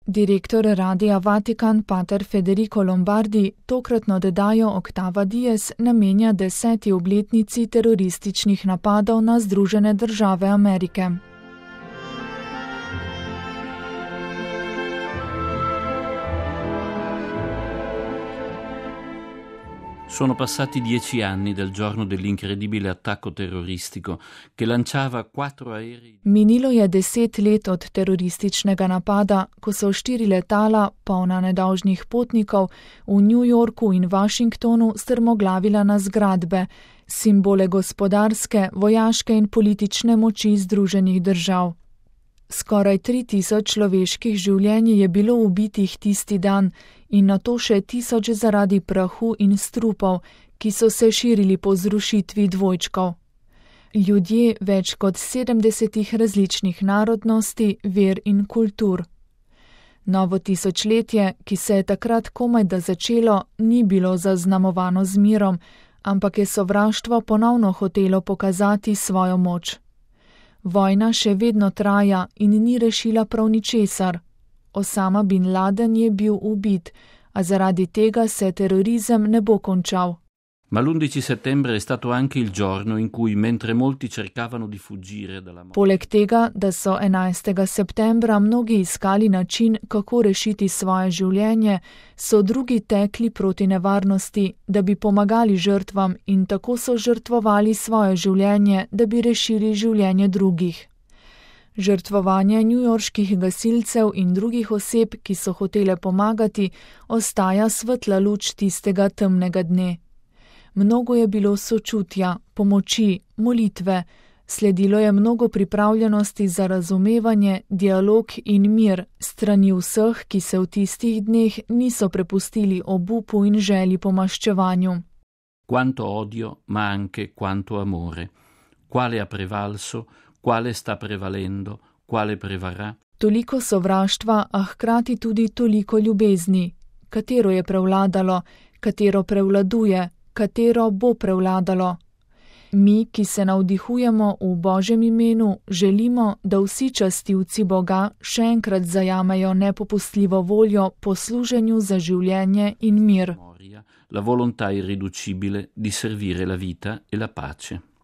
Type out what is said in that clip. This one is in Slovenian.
Direktor Radia Vatikan pater Federico Lombardi tokratno oddajo Octava Dies namenja 10. obletnici terorističnih napadov na Združene države Amerike. Sono passati 10 anni dal giorno dell'incredibile attacco terroristico che lanciava 4 aerei. Minilo je 10 let od terorističnega napada, ko so 4 letala, polna nedolžnih potnikov, v New Yorku in Washingtonu strmoglavila na zgradbe, simbole gospodarske, vojaške in politične moči Združenih držav. Skoraj 3000 človeških življenj je bilo ubitih tisti dan in nato še 1000 zaradi prahu in strupov, ki so se širili po zrušitvi dvojčkov. Ljudje več kot 70 različnih narodnosti, ver in kultur. Novo tisočletje, ki se je takrat komajda začelo, ni bilo zaznamovano z mirom, ampak je sovraštvo ponovno hotelo pokazati svojo moč. Vojna še vedno traja in ni rešila prav ničesar. Osama bin Laden je bil ubit, a zaradi tega se terorizem ne bo končal. Ma l'11 settembre è stato anche il giorno in cui, mentre molti cercavano di fuggire dalla morte. Poleg tega, da so 11. septembra mnogi iskali način, kako rešiti svoje življenje, so drugi tekli proti nevarnosti, da bi pomagali žrtvam in tako so žrtvovali svoje življenje, da bi rešili življenje drugih. Žrtvovanje newyorških gasilcev in drugih oseb, ki so hotele pomagati, ostaja svetla luč tistega temnega dne. Mnogo je bilo sočutja, pomoči, molitve, sledilo je mnogo pripravljenosti za razumevanje, dialog in mir strani vseh, ki se v tistih dneh niso prepustili obupu in želji po maščevanju. Quanto odio, ma anche quanto amore. Quale ha prevalso, quale sta prevalendo, quale prevarrà? Toliko sovraštva, a hkrati tudi toliko ljubezni. Katero je prevladalo, katero prevladuje, katero bo prevladalo. Mi, ki se navdihujemo v Božjem imenu, želimo, da vsi častilci Boga še enkrat zajamejo nepopustljivo voljo po služenju za življenje in mir. La volontà irriducibile di servire la vita e la pace.